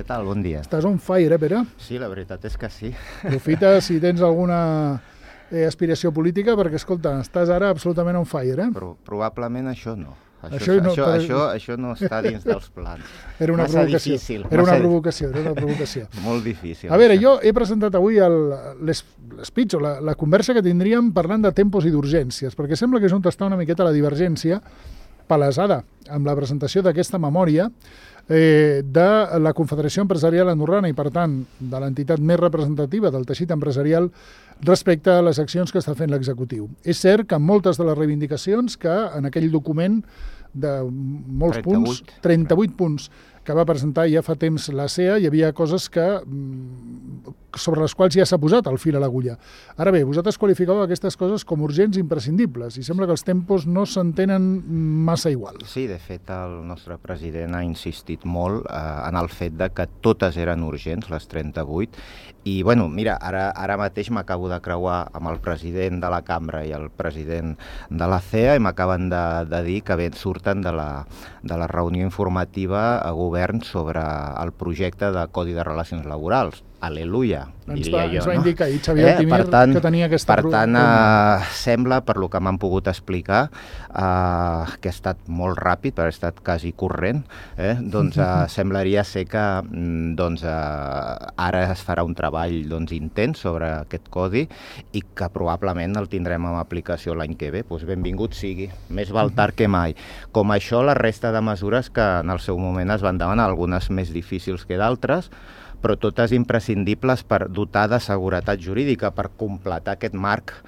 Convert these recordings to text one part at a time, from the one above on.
tal? Bon dia. Estàs on fire, Pere? Sí, la veritat és que sí. Aprofita si tens alguna aspiració política, perquè, escolta, estàs ara absolutament on fire, Però probablement això no. Això no està dins dels plans. Era una massa provocació. Difícil. Era una provocació. Molt difícil. A veure, jo he presentat avui l'speech o la conversa que tindríem parlant de tempos i d'urgències, perquè sembla que és on està una miqueta la divergència palesada amb la presentació d'aquesta memòria de la Confederació Empresarial Andorrana i, per tant, de l'entitat més representativa del teixit empresarial respecte a les accions que està fent l'executiu. És cert que moltes de les reivindicacions que en aquell document de molts 38 punts que va presentar ja fa temps la CEA, hi havia coses sobre les quals ja s'ha posat el fil a l'agulla. Ara bé, vosaltres qualificàveu aquestes coses com urgents i imprescindibles, i sembla que els tempos no s'entenen massa igual. Sí, de fet, el nostre president ha insistit molt en el fet de que totes eren urgents, les 38, i, bueno, mira, ara mateix m'acabo de creuar amb el president de la Cambra i el president de la CEA i m'acaben de dir que surten de la reunió informativa a govern sobre el projecte de Codi de Relacions Laborals. Al·leluia, diria jo. Ens va indicar ahir Xavier Altimir que tenia aquesta... Per tant, sembla, per lo que m'han pogut explicar, que ha estat molt ràpid, però ha estat quasi corrent, doncs semblaria ser que ara es farà un treball intens sobre aquest codi i que probablement el tindrem en aplicació l'any que ve. Doncs benvingut sigui, més val tard que mai. Com això, la resta de mesures que en el seu moment es van demanar, algunes més difícils que d'altres, però totes imprescindibles per dotar de seguretat jurídica, per completar aquest marc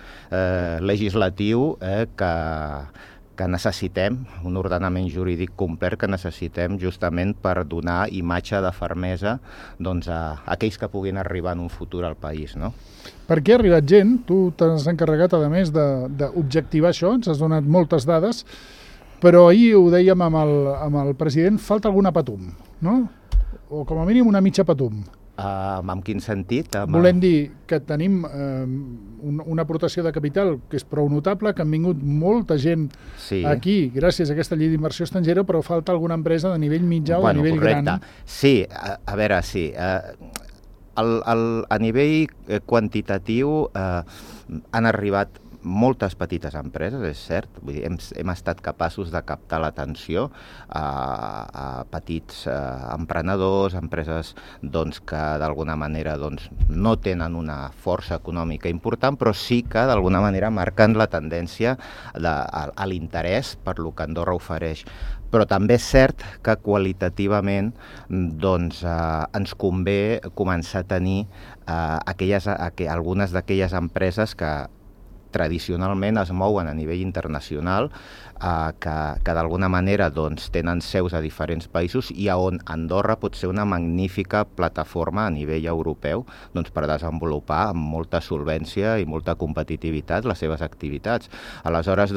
legislatiu que necessitem, un ordenament jurídic complet que necessitem justament per donar imatge de fermesa a aquells que puguin arribar en un futur al país, no? Per què ha arribat gent? Tu t'has encarregat, a més, d'objectivar això, ens has donat moltes dades, però ahir ho dèiem amb el president, falta alguna patum, no? O com a mínim una mitja patum. En quin sentit? Volem dir que tenim una aportació de capital que és prou notable, que han vingut molta gent aquí gràcies a aquesta llei d'inversió estrangera, però falta alguna empresa de nivell mitjà o de nivell gran. Sí, a veure, sí. A nivell quantitatiu han arribat moltes petites empreses, és cert. Vull dir, hem estat capaços de captar l'atenció a petits emprenedors, empreses que d'alguna manera no tenen una força econòmica important, però sí que d'alguna manera marquen la tendència a l'interès per lo que Andorra ofereix. Però també és cert que qualitativament ens convé començar a tenir algunes d'aquelles empreses que tradicionalment es mouen a nivell internacional, que d'alguna manera tenen seus a diferents països i on Andorra pot ser una magnífica plataforma a nivell europeu per desenvolupar amb molta solvència i molta competitivitat les seves activitats. Aleshores,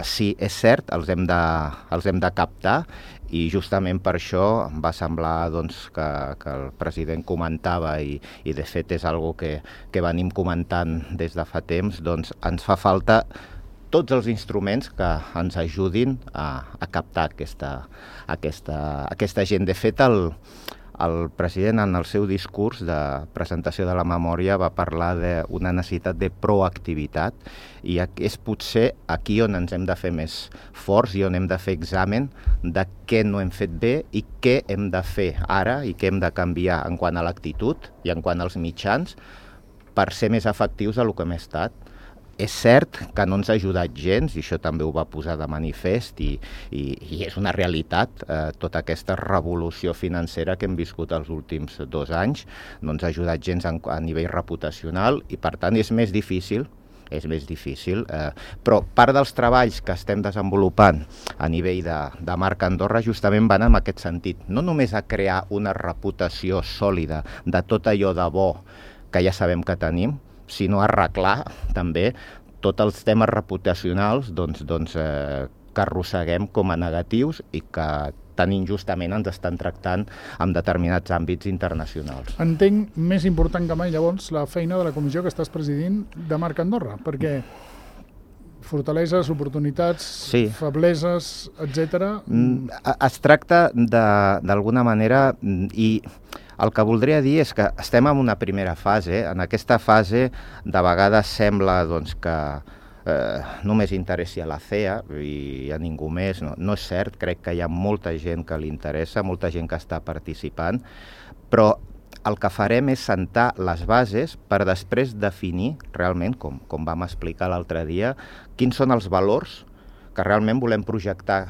sí, és cert, els hem de captar, i justament per això em va semblar que el president comentava, i de fet és algo que venim comentant des de fa temps, ens fa falta tots els instruments que ens ajudin a captar aquesta gent. De fet, el president en el seu discurs de presentació de la memòria va parlar d'una necessitat de proactivitat, i és potser aquí on ens hem de fer més forts i on hem de fer examen de què no hem fet bé i què hem de fer ara i què hem de canviar en quant a l'actitud i en quant als mitjans per ser més efectius del que hem estat. És cert que no ens ha ajudat gens, i això també ho va posar de manifest, i és una realitat. Tota aquesta revolució financera que hem viscut els últims 2 anys no ens ha ajudat gens a nivell reputacional, i per tant és més difícil, però part dels treballs que estem desenvolupant a nivell de marca Andorra justament van en aquest sentit, no només a crear una reputació sòlida de tot allò de bo que ja sabem que tenim, sinó arreglar també tots els temes reputacionals que arrosseguem com a negatius i que tan injustament ens estan tractant en determinats àmbits internacionals. Entenc més important que mai, llavors, la feina de la comissió que estàs presidint de Marca Andorra, perquè fortaleses, oportunitats, febleses, etc. Es tracta d'alguna manera, i El que voldria dir és que estem en una primera fase. En aquesta fase de vegades sembla doncs, que només interessi a la CEA i a ningú més. No és cert, crec que hi ha molta gent que li interessa, molta gent que està participant, però el que farem és sentar les bases per després definir realment, com vam explicar l'altre dia, quins són els valors que realment volem projectar,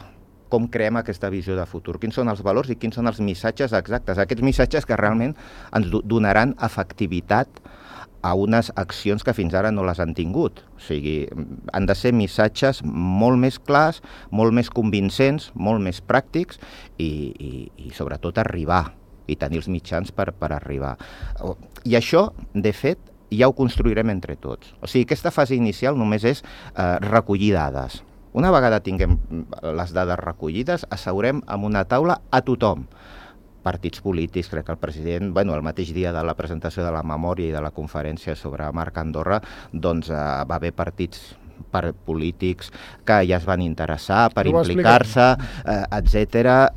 com creem aquesta visió de futur, quins són els valors i quins són els missatges exactes, aquests missatges que realment ens donaran efectivitat a unes accions que fins ara no les han tingut. O sigui, han de ser missatges molt més clars, molt més convincents, molt més pràctics i sobretot arribar i tenir els mitjans per arribar. I això, de fet, ja ho construirem entre tots. O sigui, aquesta fase inicial només és recollir dades. Una vegada tinguem les dades recollides, asseurem en una taula a tothom. Partits polítics, crec que el president, el mateix dia de la presentació de la memòria i de la conferència sobre Marc Andorra, doncs va haver partits polítics que ja es van interessar per implicar-se, etc.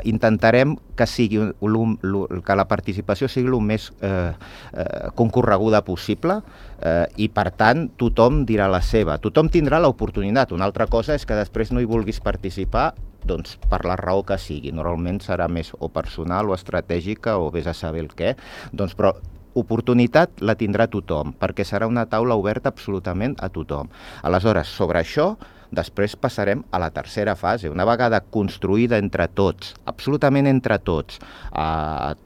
Intentarem que que la participació sigui el més concorreguda possible i, per tant, tothom dirà la seva. Tothom tindrà l'oportunitat. Una altra cosa és que després no hi vulguis participar doncs per la raó que sigui. Normalment serà més o personal o estratègica o vés a saber el què. Doncs, però oportunitat la tindrà tothom, perquè serà una taula oberta absolutament a tothom. Aleshores, sobre això, després passarem a la tercera fase. Una vegada construïda entre tots, absolutament entre tots,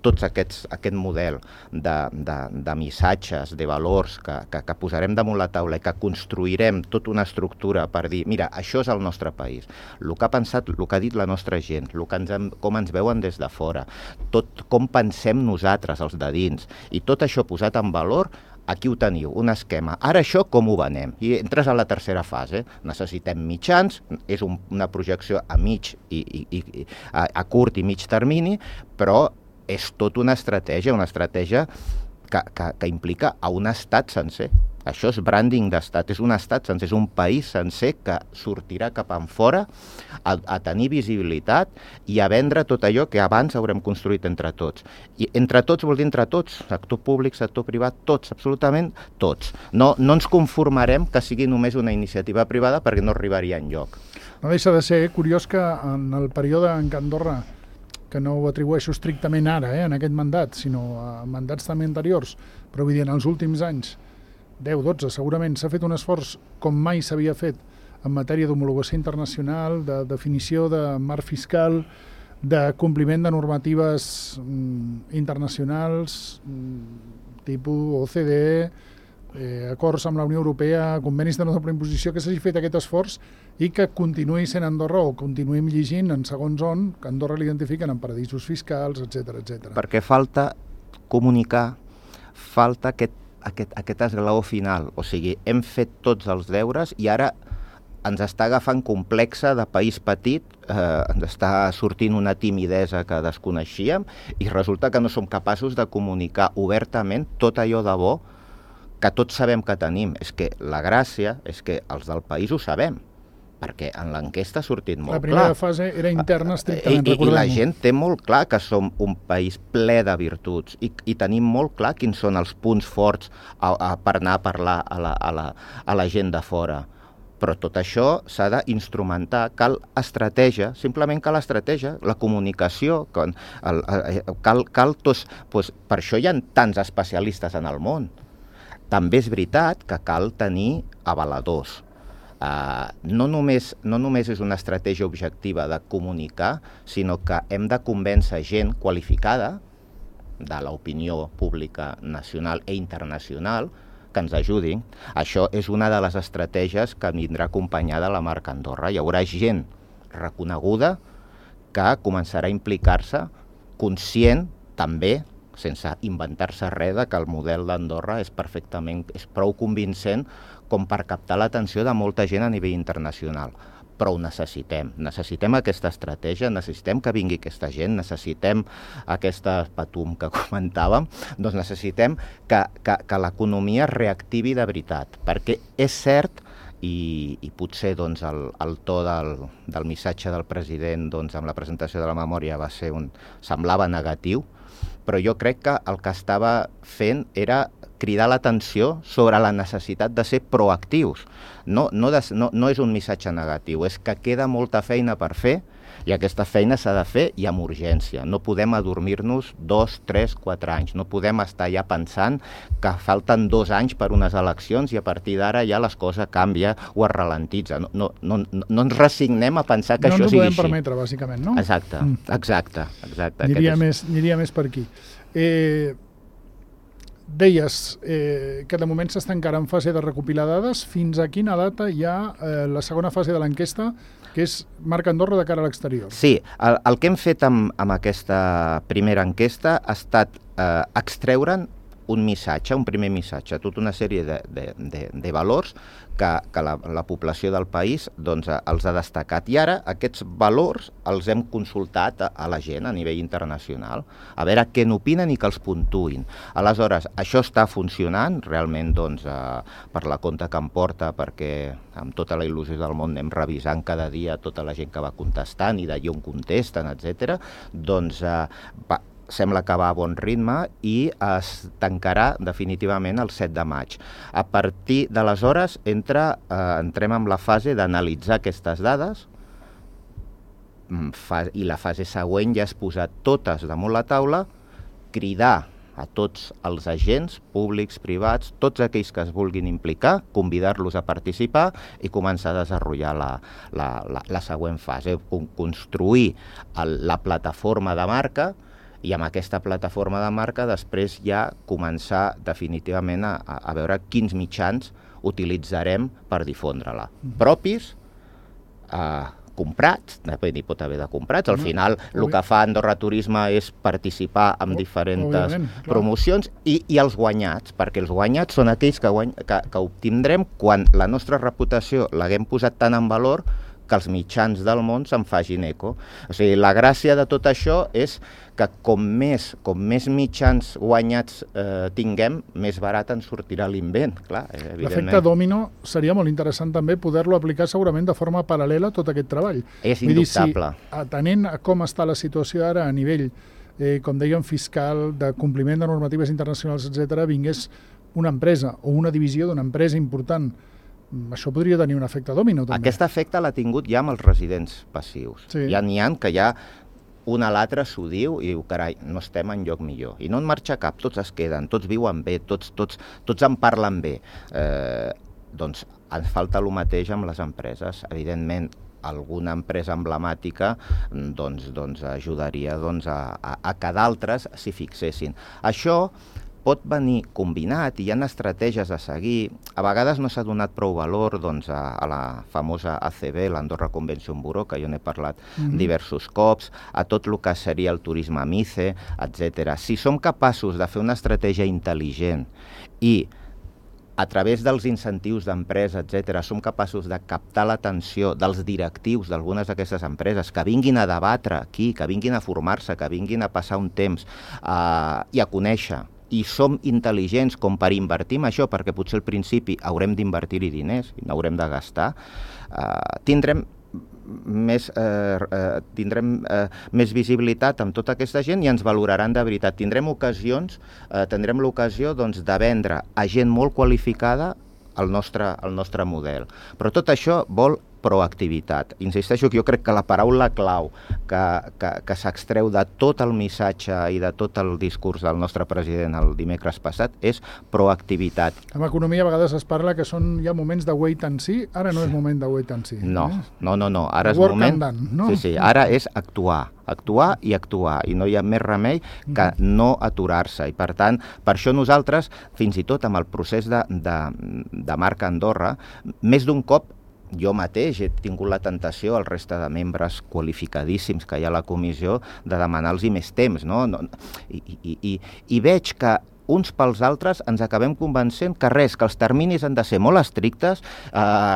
tots aquest model de missatges, de valors que posarem damunt la taula i que construirem tota una estructura per dir, mira, això és el nostre país, el que ha pensat, el que ha dit la nostra gent, com ens veuen des de fora, tot com pensem nosaltres, els de dins, i tot això posat en valor. Aquí ho teniu, un esquema. Ara això com ho venem? I entres a la tercera fase. Necessitem mitjans, és una projecció a curt i mig termini, però és tot una estratègia que implica a un estat sencer. Això és branding d'estat, és un estat sencer, és un país sencer que sortirà cap enfora a tenir visibilitat i a vendre tot allò que abans haurem construït entre tots. I entre tots vol dir entre tots, sector públic, sector privat, tots, absolutament tots. No ens conformarem que sigui només una iniciativa privada perquè no arribaria enlloc. No deixa de ser curiós que en el període en què Andorra, que no ho atribueixo estrictament ara, en aquest mandat, sinó a mandats també anteriors, però vull dir, en els últims anys, 10, 12, segurament s'ha fet un esforç com mai s'havia fet en matèria d'homologació internacional, de definició de marc fiscal, de compliment de normatives internacionals, tipus OCDE, acords amb la Unió Europea, convenis de no imposició, que s'hagi fet aquest esforç i que continuï sent Andorra, o continuïm llegint en segons on, que Andorra l'identifiquen en paradisos fiscals, etc. Perquè falta comunicar, falta aquest esglaó final. O sigui, hem fet tots els deures i ara ens està agafant complexa de país petit, ens està sortint una timidesa que desconeixíem i resulta que no som capaços de comunicar obertament tot allò de bo que tots sabem que tenim. És que la gràcia és que els del país ho sabem, perquè en l'enquesta ha sortit molt clar. La primera fase era interna, estrictament, recordem-ho. I la gent té molt clar que som un país ple de virtuts i tenim molt clar quins són els punts forts per anar a parlar a la gent de fora. Però tot això s'ha d'instrumentar, cal estratègia, simplement cal estratègia, la comunicació, cal tots... Per això hi ha tants especialistes en el món. També és veritat que cal tenir avaladors. No només és una estratègia objectiva de comunicar, sinó que hem de convèncer gent qualificada de l'opinió pública nacional i internacional que ens ajudin. Això és una de les estratègies que vindrà acompanyada de la marca Andorra. Hi haurà gent reconeguda que començarà a implicar-se, conscient també, sense inventar-se res, que el model d'Andorra és prou convincent com per captar l'atenció de molta gent a nivell internacional. Però ho necessitem. Necessitem aquesta estratègia, necessitem que vingui aquesta gent, necessitem aquesta patum que comentàvem, doncs necessitem que l'economia es reactivi de veritat, perquè és cert, i potser doncs, el to del missatge del president amb la presentació de la memòria semblava negatiu, però jo crec que el que estava fent era cridar l'atenció sobre la necessitat de ser proactius. No és un missatge negatiu, és que queda molta feina per fer i aquesta feina s'ha de fer i amb urgència. No podem adormir-nos 2, 3, 4 anys. No podem estar ja pensant que falten 2 anys per unes eleccions i a partir d'ara ja les coses canvien o es ralentitza. No ens resignem a pensar que això sigui així. No ens ho podem permetre, bàsicament, no? Exacte. Aniria més per aquí. Deies que de moment s'està encara en fase de recopilar dades. Fins a quina data hi ha la segona fase de l'enquesta, que és Marca Andorra de cara a l'exterior? Sí, el que hem fet amb aquesta primera enquesta ha estat extreure'n un missatge, un primer missatge, tota una sèrie de valors que la població del país doncs, els ha destacat. I ara aquests valors els hem consultat a la gent a nivell internacional, a veure què n'opinen i que els puntuïn. Aleshores, això està funcionant, realment doncs, per la compte que em porta, perquè amb tota la il·lusió del món anem revisant cada dia tota la gent que va contestant i d'allà on contesten, etc. Doncs sembla que va a bon ritme i es tancarà definitivament el 7 de maig. A partir d'aleshores entrem en la fase d'analitzar aquestes dades i la fase següent ja és posar totes damunt la taula, cridar a tots els agents públics, privats, tots aquells que es vulguin implicar, convidar-los a participar i començar a desenvolupar la següent fase, construir la plataforma de marca i amb aquesta plataforma de marca després ja començar definitivament a veure quins mitjans utilitzarem per difondre-la. Propis, comprats, n'hi pot haver de comprats, al final el que fa Andorra Turisme és participar en diferents promocions i els guanyats, perquè els guanyats són aquells que obtindrem quan la nostra reputació l'haguem posat tant en valor que els mitjans del món se'n facin eco. O sigui, la gràcia de tot això és que com més mitjans guanyats tinguem, més barat ens sortirà l'invent, clar, evidentment. L'efecte dòmino seria molt interessant també poder-lo aplicar segurament de forma paral·lela a tot aquest treball. És indubtable. Atenent a com està la situació ara a nivell, com dèiem, fiscal, de compliment de normatives internacionals, etc., vingués una empresa o una divisió d'una empresa important, això podria tenir un efecte dòmino, també. Aquest efecte l'ha tingut ja amb els residents passius. Sí. Ja n'hi ha que ja un a l'altre s'ho diu i diu, carai, no estem en lloc millor. I no en marxa cap, tots es queden, tots viuen bé, tots en parlen bé. Doncs ens falta el mateix amb les empreses. Evidentment, alguna empresa emblemàtica doncs ajudaria a que d'altres s'hi fixessin. Això pot venir combinat i hi ha estratègies a seguir. A vegades no s'ha donat prou valor a la famosa ACB, l'Andorra Convention Bureau, que jo n'he parlat diversos cops, a tot el que seria el turisme MICE, etc. Si som capaços de fer una estratègia intel·ligent i a través dels incentius d'empresa, etc., som capaços de captar l'atenció dels directius d'algunes d'aquestes empreses, que vinguin a debatre aquí, que vinguin a formar-se, que vinguin a passar un temps i a conèixer, i som intel·ligents com per invertir en això, perquè potser al principi haurem d'invertir-hi diners i n'haurem de gastar, tindrem més visibilitat amb tota aquesta gent i ens valoraran de veritat. Tindrem l'ocasió de vendre a gent molt qualificada el nostre model. Però tot això vol proactivitat. Insisteixo que jo crec que la paraula clau que s'extreu de tot el missatge i de tot el discurs del nostre president el dimecres passat és proactivitat. En economia a vegades es parla que són ja moments de wait and see, ara no és moment de wait and see. No, ara és moment... Sí, ara és actuar i no hi ha més remei que no aturar-se i per tant, per això nosaltres fins i tot amb el procés de Marca Andorra, més d'un cop jo mateix he tingut la tentació al resta de membres qualificadíssims que hi ha a la comissió de demanar-los més temps, no? I veig que uns pels altres ens acabem convencent que que els terminis han de ser molt estrictes,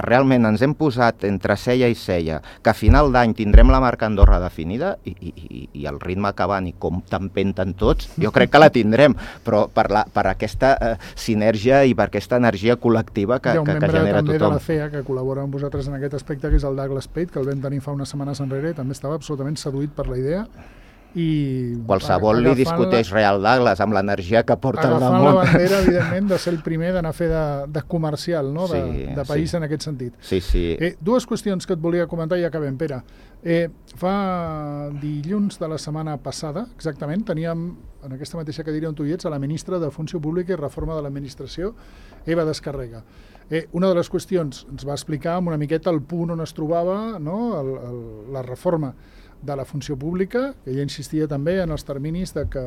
realment ens hem posat entre cella i cella, que a final d'any tindrem la Marca Andorra definida i el ritme que van i com t'empenten tots, jo crec que la tindrem, però per aquesta sinergia i per aquesta energia col·lectiva que genera tothom. Hi ha un membre també de la FEA que col·labora amb vosaltres en aquest aspecte, que és el Douglas Pate, que el vam tenir fa unes setmanes enrere, també estava absolutament seduït per la idea i qualsevol li discuteix Real Douglas amb l'energia que porta al damunt. Agafant la bandera, evidentment, de ser el primer d'anar a fer de comercial, no? de país en aquest sentit. Sí. Dues qüestions que et volia comentar i acabem, Pere. Fa dilluns de la setmana passada, exactament, teníem en aquesta mateixa cadira on tu hi ets a la ministra de Funció Pública i Reforma de l'Administració, Eva Descarrega. Una de les qüestions ens va explicar una miqueta el punt on es trobava, no? La reforma de la funció pública, que ella insistia també en els terminis de que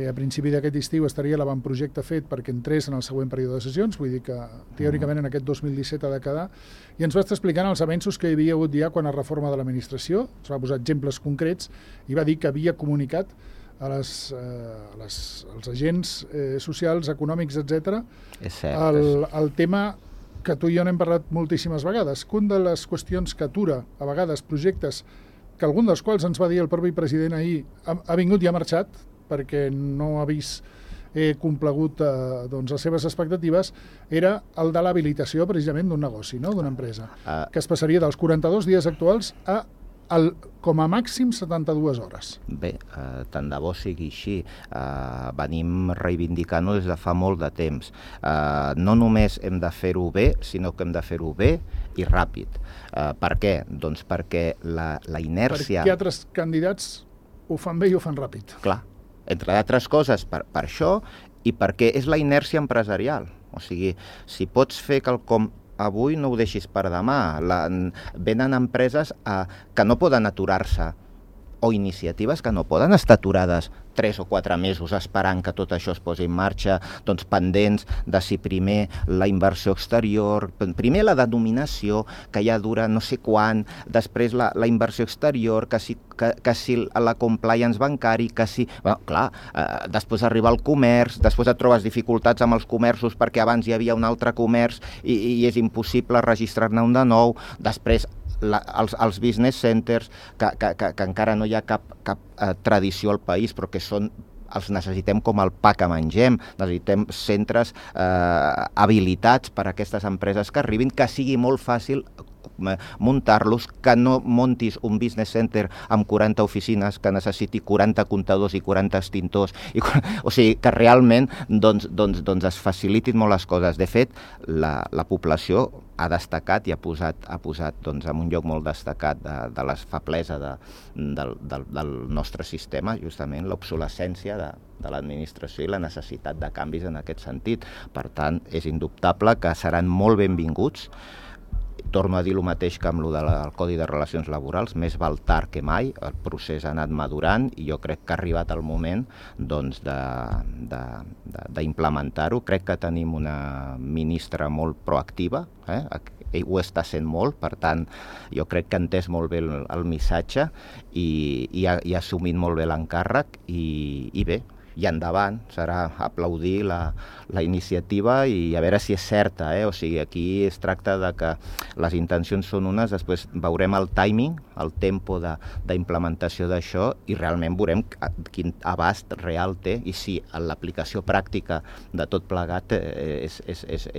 a principi d'aquest estiu estaria l'avantprojecte fet perquè entrés en el següent període de sessions, vull dir que teòricament en aquest 2017 ha de quedar, i ens va estar explicant els avenços que hi havia hagut ja quan a reforma de l'administració, ens va posar exemples concrets i va dir que havia comunicat als agents socials, econòmics, etc. El tema que tu i jo n'hem parlat moltíssimes vegades, que una de les qüestions que atura a vegades projectes que algun dels quals ens va dir el propi president ahir ha vingut i ha marxat perquè no ha vist complegut les seves expectatives, era el de l'habilitació precisament d'un negoci, no? D'una empresa, que es passaria dels 42 dies actuals a com a màxim 72 hores. Bé, tant de bo sigui així. Venim reivindicant-ho des de fa molt de temps. No només hem de fer-ho bé, sinó que hem de fer-ho bé i ràpid. Per què? Doncs perquè la inèrcia... Perquè altres candidats ho fan bé i ho fan ràpid. Clar, entre d'altres coses per això i perquè és la inèrcia empresarial. O sigui, si pots fer quelcom avui no ho deixis per demà. Venen empreses que no poden aturar-se o iniciatives que no poden estar aturades 3 o 4 mesos esperant que tot això es posi en marxa, doncs pendents de si primer la inversió exterior, primer la denominació, que ja dura no sé quan, després la inversió exterior, que si la compliance bancari, que si... Bueno, clar, després arriba el comerç, després et trobes dificultats amb els comerços perquè abans hi havia un altre comerç i és impossible registrar-ne un de nou, després els business centers, que encara no hi ha cap tradició al país, però que els necessitem com el pa que mengem, necessitem centres habilitats per a aquestes empreses que arribin, que sigui molt fàcil muntar-los, que no montis un business center amb 40 oficines que necessiti 40 comptadors i 40 extintors, o sigui, que realment doncs es facilitin molt les coses. De fet, la població ha destacat i ha posat doncs, en un lloc molt destacat de la feblesa del nostre sistema, justament l'obsolescència de l'administració i la necessitat de canvis en aquest sentit. Per tant, és indubtable que seran molt benvinguts. Torno a dir el mateix que amb el del Codi de Relacions Laborals, més val tard que mai, el procés ha anat madurant i jo crec que ha arribat el moment doncs, d'implementar-ho. Crec que tenim una ministra molt proactiva, ell ho està sent molt, per tant, jo crec que ha entès molt bé el missatge i ha assumit molt bé l'encàrrec i bé, i endavant, serà aplaudir la iniciativa i a veure si és certa, O sigui, aquí es tracta de que les intencions són unes, després veurem el timing, el tempo d'implementació d'això i realment veurem quin abast real té i si l'aplicació pràctica de tot plegat és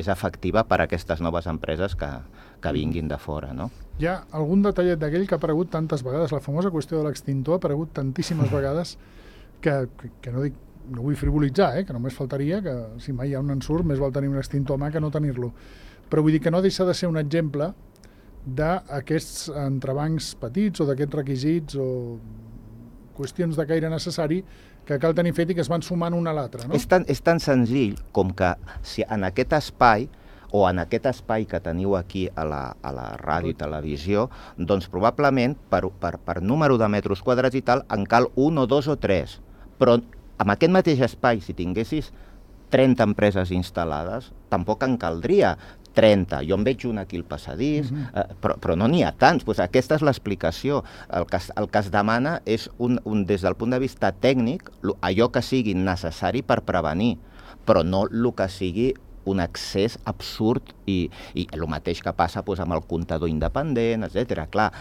efectiva per a aquestes noves empreses que vinguin de fora, no? Hi ha algun detallet d'aquell que ha aparegut tantes vegades, la famosa qüestió de l'extintor ha aparegut tantíssimes vegades que no dic, no vull frivolitzar, que només faltaria que si mai hi ha un ensurt més val tenir un extintor a mà que no tenir-lo, però vull dir que no deixa de ser un exemple d'aquests entrebancs petits o d'aquests requisits o qüestions de caire necessari que cal tenir fet i que es van sumant un a l'altre, no? És tan senzill com que si en aquest espai o en aquest espai que teniu aquí a la ràdio i televisió, doncs probablement per número de metres quadrats i tal en cal 1 o 2 o 3, però amb aquest mateix espai, si tinguessis 30 empreses instal·lades, tampoc en caldria 30. Jo en veig una aquí al passadís, però no n'hi ha tants. Pues aquesta és l'explicació. El que es demana és, des del punt de vista tècnic, allò que sigui necessari per prevenir, però no el que sigui un accés absurd i el mateix que passa amb el comptador independent, etc. Clar,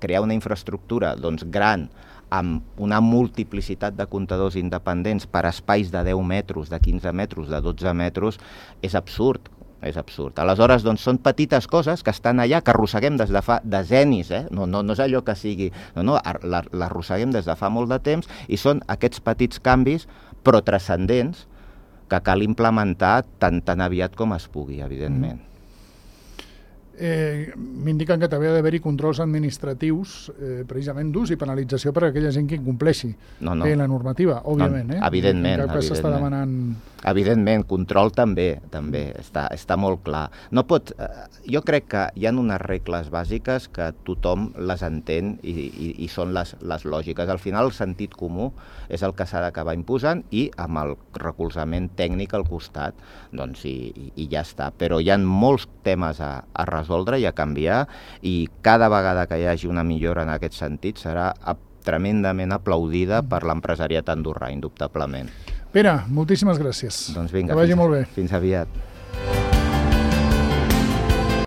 crear una infraestructura gran amb una multiplicitat de comptadors independents per espais de 10 metres, de 15 metres, de 12 metres, és absurd. és absurd. Aleshores, doncs, són petites coses que estan allà, que arrosseguem des de fa decennis, no és allò que sigui... No, l'arrosseguem des de fa molt de temps i són aquests petits canvis, però transcendents, que cal implementar tan aviat com es pugui, evidentment. M'indiquen que també ha d'haver-hi controls administratius precisament d'ús i penalització per a aquella gent que incompleixi la normativa, òbviament. Evidentment. En cap cas s'està demanant... Evidentment, control també està molt clar. No pot, jo crec que hi ha unes regles bàsiques que tothom les entén i són les lògiques. Al final, el sentit comú és el que s'ha d'acabar imposant i amb el recolzament tècnic al costat, doncs, i ja està. Però hi ha molts temes a resoldre i a canviar, i cada vegada que hi hagi una millora en aquest sentit serà tremendament aplaudida per l'empresariat andorrà, indubtablement. Pere, moltíssimes gràcies. Doncs vinga, que vagi molt bé. Fins aviat.